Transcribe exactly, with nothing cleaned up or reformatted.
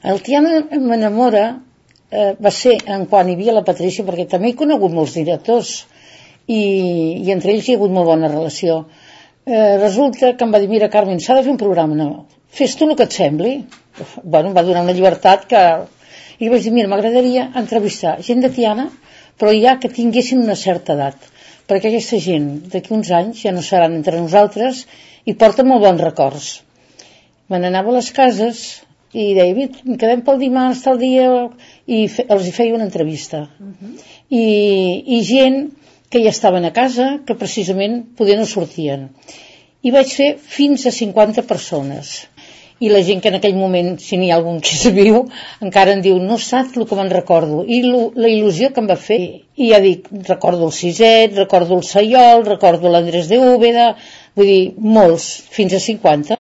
El Tiana m'enamora eh, va ser en quan hi havia la Patrícia, perquè també he conegut molts directors i, i entre ells hi ha hagut molt bona relació. Eh, resulta que em va dir, mira Carmen, s'ha de fer un programa, no, fes tu el que et sembli. Bueno, em va donar una llibertat que... I vaig dir, mira, m'agradaria entrevistar gent de Tiana, però ja que tinguessin una certa edat, perquè aquesta gent d'aquí uns anys ja no seran entre nosaltres i porten molt bons records. Me n'anava a les cases i deia, quedem pel dimarts, tal dia, i fe, els hi feia una entrevista. Uh-huh. I, i gent que ja estaven a casa, que precisament poder no sortien. I vaig fer fins a cinquanta persones. I la gent que en aquell moment, si n'hi ha algun que se viu, encara em diu, no saps el que me'n recordo, i lo, la il·lusió que em va fer. I ja dic, recordo el Siset, recordo el Saiol, recordo l'Andrés de Úbeda, vull dir, molts, fins a cinquanta.